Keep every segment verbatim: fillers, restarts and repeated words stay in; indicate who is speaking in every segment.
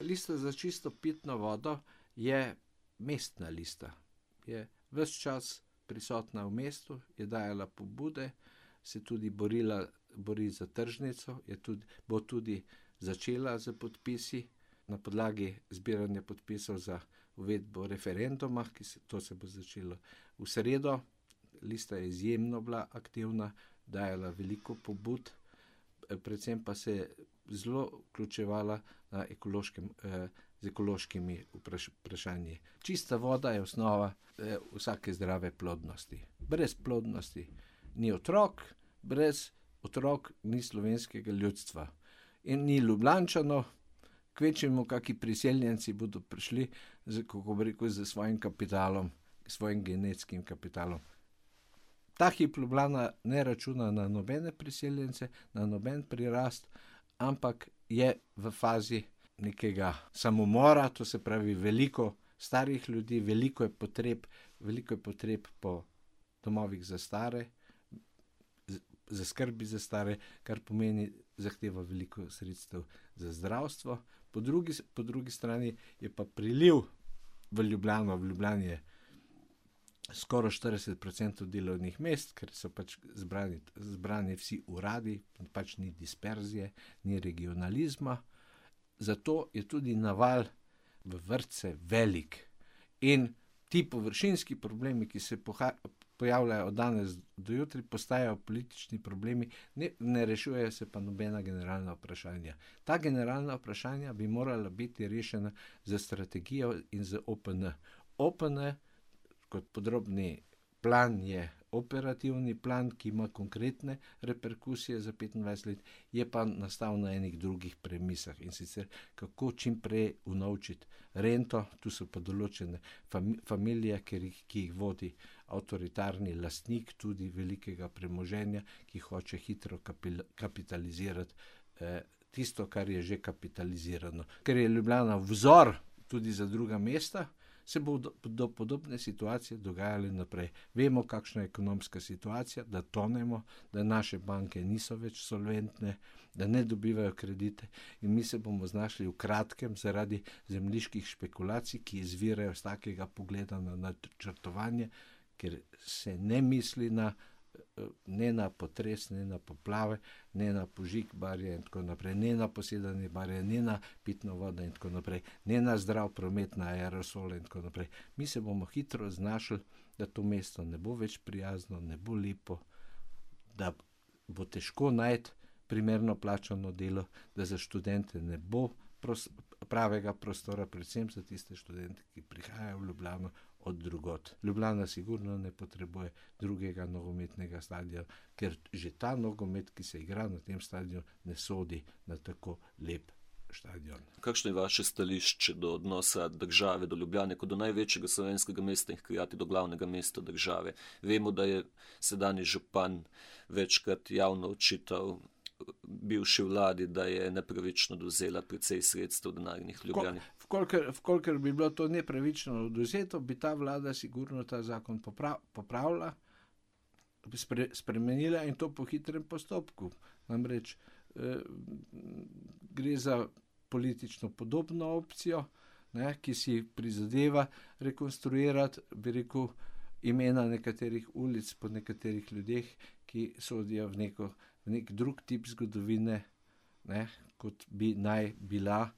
Speaker 1: Lista za čisto pitno vodo je mestna lista. Je ves čas prisotna v mestu, je dajala pobude, se tudi borila, bori za tržnico, je tudi, bo tudi začela z podpisi na podlagi zbiranja podpisov za uvedbo referenduma, ki se, to se bo začelo v sredo. Lista je izjemno bila aktivna, dajala veliko pobud, predvsem pa se je zelo vključevala na ekološkem, eh, z ekološkimi vpraš, vprašanji. Čista voda je osnova eh, vsake zdrave plodnosti. Brez plodnosti ni otrok, brez otrok ni slovenskega ljudstva. In ni Ljubljančanov, kvečjemu kaki priseljenci bodo prišli z, kako bi rekel, z svojim kapitalom, svojim genetskim kapitalom. Ta hip Ljubljana ne računa na nobene priseljence, na noben prirast, ampak je v fazi nekega samomora, to se pravi veliko starih ljudi, veliko je potreb, veliko je potreb po domovih za stare, za skrbi za stare, kar pomeni zahteva veliko sredstev za zdravstvo. Po drugi, po drugi strani je pa priliv v Ljubljano, v Ljubljani je skoraj štirideset procentov delovnih mest, ker so pač zbrani, zbrani vsi uradi, pač ni disperzije, ni regionalizma. Zato je tudi naval v vrtce velik. In ti površinski problemi, ki se poha, pojavljajo od danes do jutri, postajajo politični problemi, ne, ne rešujejo se pa nobena generalna vprašanja. Ta generalna vprašanja bi morala biti rešena z strategijo in z O P N. O P N kot podrobni plan je operativni plan, ki ima konkretne reperkusije za petindvajset let, je pa nastal na enih drugih premisah, in sicer kako čim prej unovčiti rento. Tu so pa določene fami, familije, ki, ki jih vodi avtoritarni lastnik tudi velikega premoženja, ki hoče hitro kapil, kapitalizirati eh, tisto, kar je že kapitalizirano. Ker je Ljubljana vzor tudi za druga mesta, se bo do, do podobne situacije dogajale naprej. Vemo, kakšna je ekonomska situacija, da tonemo, da naše banke niso več solventne, da ne dobivajo kredite, in mi se bomo znašli v kratkem zaradi zemljiških špekulacij, ki izvirajo z takega pogleda na načrtovanje, ker se ne misli na, ne na potres, ne na poplave, ne na požig barje in tako naprej, ne na posedanje barje, ne na pitno vodo in tako naprej, ne na zdrav promet, na aerosole in tako naprej. Mi se bomo hitro znašli, da to mesto ne bo več prijazno, ne bo lepo, da bo težko najti primerno plačano delo, da za študente ne bo pros, pravega prostora, predvsem za tiste študente, ki prihajajo v Ljubljano od drugod. Ljubljana sigurno ne potrebuje drugega nogometnega stadiona, ker že ta nogomet, ki se igra na tem stadionu, ne sodi na tako lep stadion.
Speaker 2: Kakšno je vaše stališče do odnosa države do Ljubljane kot do največjega slovenskega mesta in hkrati do glavnega mesta države? Vemo, da je sedanji župan večkrat javno očital bivši vladi, da je nepravično odvzela precej sredstev denarnih Ljubljani.
Speaker 1: Vkolikor, vkolikor bi bilo to nepravično odvzeto, bi ta vlada sigurno ta zakon poprav, popravila, spre, spremenila, in to po hitrem postopku. Namreč eh, gre za politično podobno opcijo, ne, ki si prizadeva rekonstruirati, bi rekel, imena nekaterih ulic po nekaterih ljudeh, ki sodijo v neko v nek drug tip zgodovine, ne, kot bi naj bila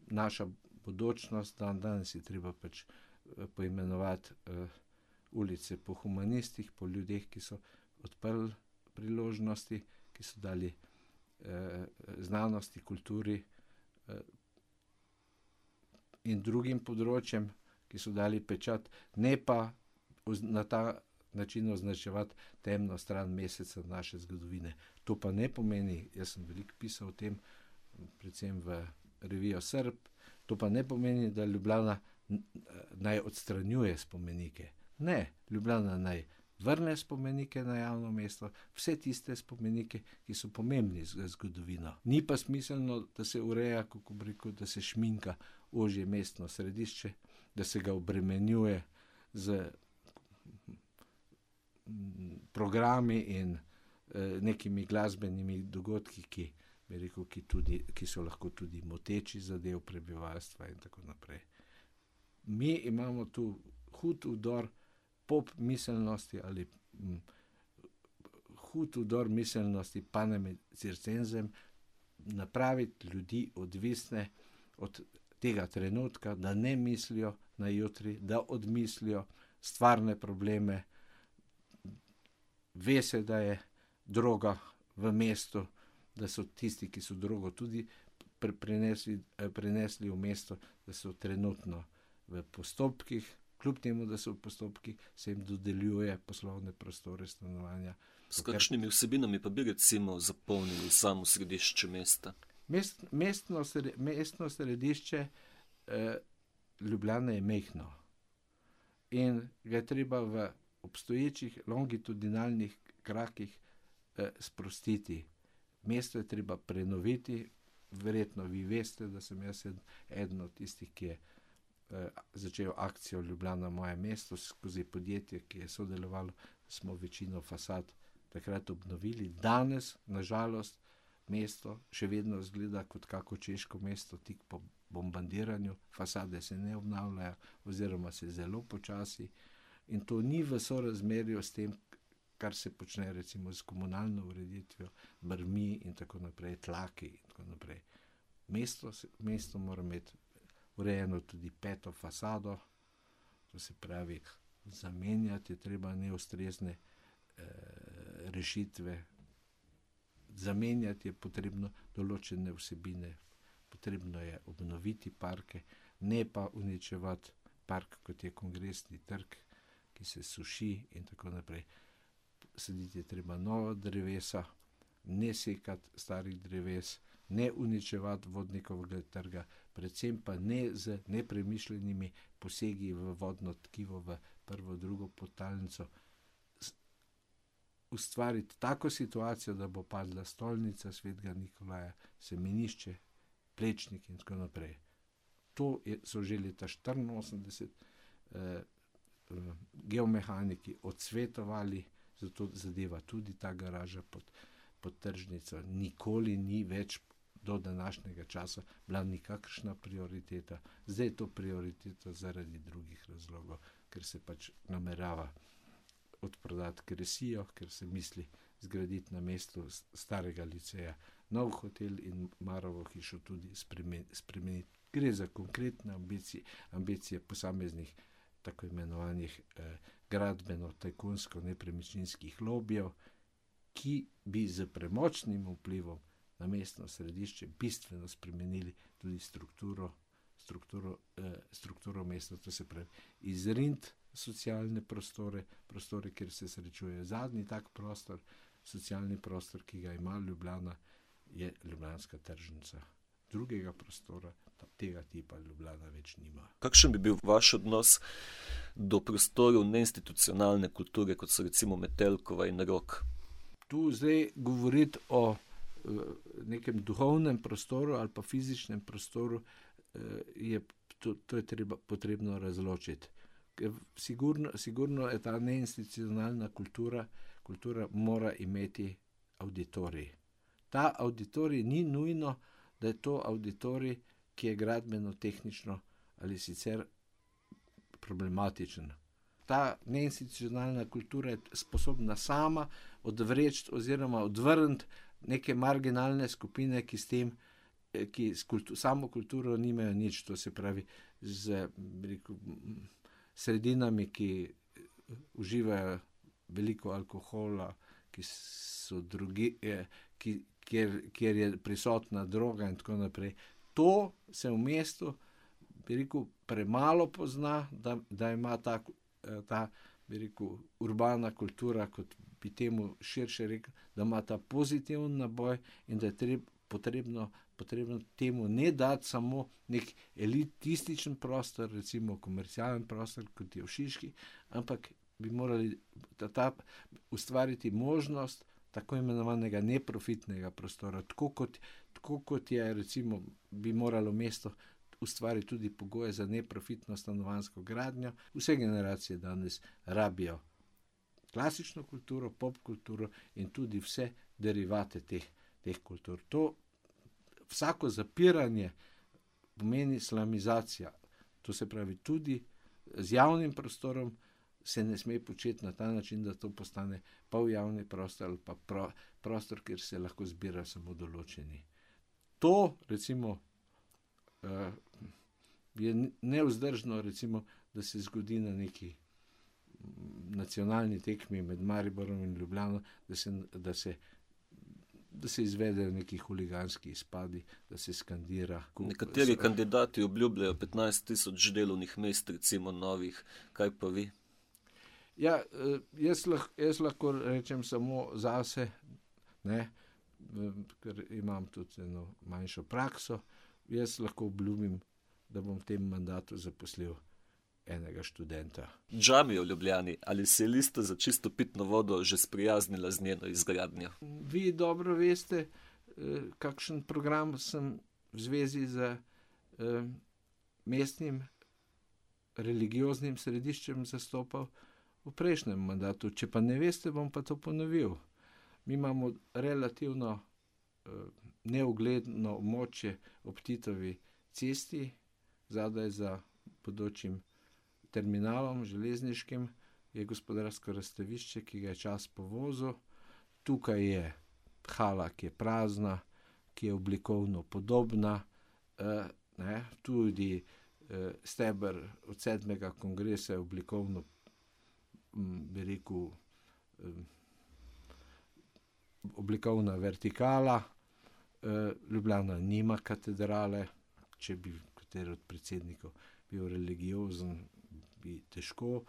Speaker 1: naša bodočnost. Dan danes je treba pač poimenovati uh, ulice po humanistih, po ljudeh, ki so odprli priložnosti, ki so dali uh, znanosti, kulturi uh, in drugim področjem, ki so dali pečat, ne pa na ta način označevati temno stran meseca naše zgodovine. To pa ne pomeni, jaz sem veliko pisal o tem, predvsem v revijo Srb, to pa ne pomeni, da Ljubljana naj odstranjuje spomenike. Ne, Ljubljana naj vrne spomenike na javno mesto, vse tiste spomenike, ki so pomembni za zgodovino. Ni pa smiselno, da se ureja, kako bi rekel, da se šminka ožje mestno središče, da se ga obremenjuje z programi in eh, nekimi glasbenimi dogodki, ki bi rekel, ki, tudi, ki so lahko tudi moteči za del prebivalstva in tako naprej. Mi imamo tu hud vdor pop miselnosti ali m, hud vdor miselnosti panem circenzem, napraviti ljudi odvisne od tega trenutka, da ne mislijo na jutri, da odmislijo stvarne probleme. Ve se, da je droga v mestu, da so tisti, ki so drogo tudi prenesli, prenesli v mesto, da so trenutno v postopkih, kljub temu, da so v postopkih, se jim dodeljuje poslovne prostore, stanovanja.
Speaker 2: S kakšnimi vsebinami pa bi recimo zapolnili samo središče mesta?
Speaker 1: Mest, mestno, mestno središče eh, Ljubljana je majhno in ga je treba v obstoječih longitudinalnih krakih eh, sprostiti. Mesto je treba prenoviti, verjetno vi veste, da sem jaz eden od tistih, ki je eh, začel akcijo Ljubljana moje mesto skozi podjetje, ki je sodelovalo, smo večino fasad takrat obnovili. Danes, nažalost, mesto še vedno izgleda kot kako češko mesto tik po bombardiranju, fasade se ne obnavljajo oziroma se zelo počasi in to ni v sorazmerju s tem, kar se počne recimo s komunalno ureditvijo, brmi in tako naprej, tlaki in tako naprej. Mesto, mesto mora imeti urejeno tudi peto fasado, to se pravi, zamenjati je treba neustrezne eh, rešitve, zamenjati je potrebno določene vsebine, potrebno je obnoviti parke, ne pa uničevati park, kot je Kongresni trg, ki se suši in tako naprej. Saditi je treba nova drevesa, ne sekati starih dreves, ne uničevati vodnikovega trga, predvsem pa ne z nepremišljenimi posegi v vodno tkivo, v prvo, drugo podtalnico, ustvariti tako situacijo, da bo padla stolnica Svetega Nikolaja, semenišče, Plečnik in tako naprej. To je, so že leta štiriinosemdeset eh, geomehaniki odsvetovali, zato zadeva tudi ta garaža pod, pod tržnico. Nikoli ni več do današnjega časa bila nikakršna prioriteta. Zdaj je to prioriteta zaradi drugih razlogov, ker se pač namerava odprodati Kresijo, ker se misli zgraditi na mestu starega liceja nov hotel in Marovo hišo tudi spremeniti. Gre za konkretne ambicije, ambicije posameznih tako imenovanih eh, gradbeno-tajkunsko-nepremičninskih lobijev, ki bi z premočnim vplivom na mestno središče bistveno spremenili tudi strukturo, strukturo, eh, strukturo mesta, to se pravi izriniti socialne prostore, prostore, kjer se srečuje. Zadnji tak prostor, socialni prostor, ki ga ima Ljubljana, je Ljubljanska tržnica. Drugega prostora tega tipa Ljubljana več nima.
Speaker 2: Kakšen bi bil vaš odnos do prostorov neinstitucionalne kulture, kot so recimo Metelkova in Rok?
Speaker 1: Tu zdaj govoriti o nekem duhovnem prostoru ali pa fizičnem prostoru, je, to, to je treba, potrebno razločiti. Sigurno, sigurno je ta neinstitucionalna kultura, kultura mora imeti auditorij. Ta auditorij ni nujno, da je to auditorij, ki je gradbeno-tehnično ali sicer problematičen. Ta neinstitucionalna kultura je sposobna sama odvreči oziroma odvrniti neke marginalne skupine, ki s tem, ki s kultu, samo kulturo nimajo nič, to se pravi z rekel, sredinami, ki uživajo veliko alkohola, ki so drugi, ki, kjer, kjer je prisotna droga in tako naprej. To se v mestu, bi rekel, premalo pozna, da, da ima ta, ta bi rekel, urbana kultura, kot bi temu širše rekel, da ima ta pozitiven naboj in da je treb, potrebno, potrebno temu ne dati samo nek elitističen prostor, recimo komercialen prostor, kot je v Šiški, ampak bi morali ta, ta ustvariti možnost tako imenovanega neprofitnega prostora, tako kot, tako kot je recimo bi moralo mesto ustvariti tudi pogoje za neprofitno stanovanjsko gradnjo. Vse generacije danes rabijo klasično kulturo, pop kulturo in tudi vse derivate teh, teh kultur. To vsako zapiranje pomeni slamizacija. To se pravi, tudi z javnim prostorom se ne sme početi na ta način, da to postane pol javni prostor ali pa pro, prostor, kjer se lahko zbira samo določeni. To, recimo, uh, je nevzdržno, recimo, da se zgodi na neki nacionalni tekmi med Mariborom in Ljubljano, da se, da se, da se izvedejo neki huliganski izpadi, da se skandira.
Speaker 2: Nekateri so... kandidati obljubljajo petnajst tisoč delovnih mest, recimo novih. Kaj pa vi?
Speaker 1: Ja, jaz, lahko, jaz lahko rečem samo zase, ne, ker imam tudi eno manjšo prakso. Jaz lahko obljubim, da bom v tem mandatu zaposlil enega študenta.
Speaker 2: Džamija v Ljubljani, ali se je Lista za čisto pitno vodo že sprijaznila z njeno izgradnjo?
Speaker 1: Vi dobro veste, kakšen program sem v zvezi z mestnim religioznim središčem zastopal v prejšnjem mandatu. Če pa ne veste, bom pa to ponovil. Mi imamo relativno neugledno območje ob Titovi cesti, zadaj za bodočim terminalom železniškim je gospodarsko razstavišče, ki ga je čas povozil. Tukaj je hala, ki je prazna, ki je oblikovno podobna, eh, ne, tudi eh, steber od sedmega kongresa je oblikovno, m, bi rekel, eh, oblikovna vertikala. Eh, Ljubljana nima katedrale, če bi kateri od predsednikov bil religiozen, bi težko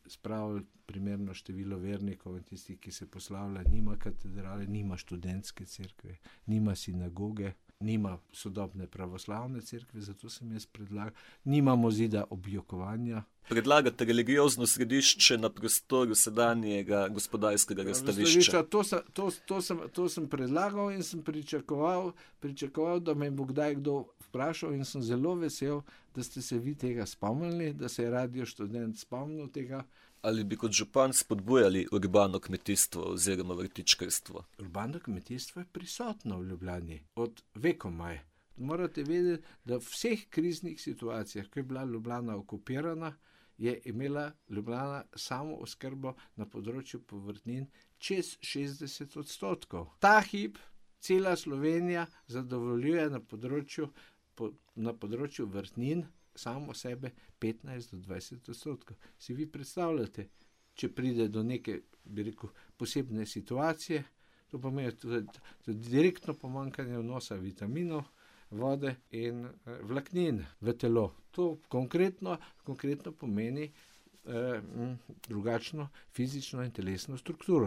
Speaker 1: spravili primerno število vernikov in tistih, ki se poslavlja, nima katedrale, nima študentske cerkve, nima sinagoge, nima sodobne pravoslavne cerkve, zato sem jaz predlagal, nimamo zida objokovanja.
Speaker 2: Predlagate religiozno središče na prostoru sedanjega gospodarskega razstavišča.
Speaker 1: To, to, to, sem, to sem predlagal in sem pričakoval, pričakoval, da me bo kdaj kdo vprašal in sem zelo vesel, da ste se vi tega spomnili, da se je Radio Študent spomnil tega.
Speaker 2: Ali bi kot župan spodbujali urbano kmetijstvo oziroma vrtičkarstvo?
Speaker 1: Urbano kmetijstvo je prisotno v Ljubljani od vekomaj. Morate vedeti, da v vseh kriznih situacijah, ko je bila Ljubljana okupirana, je imela Ljubljana samo oskrbo na področju povrtnin čez šestdeset odstotkov. Ta hip cela Slovenija zadovoljuje na področju, po, na področju vrtnin samo sebe petnajst do dvajset odstotkov. Si vi predstavljate, če pride do neke, bi rekel, posebne situacije, to pomeni tudi, tudi direktno pomanjkanje vnosa vitaminov, vode in eh, vlaknin v telo. To konkretno, konkretno pomeni eh, drugačno fizično in telesno strukturo.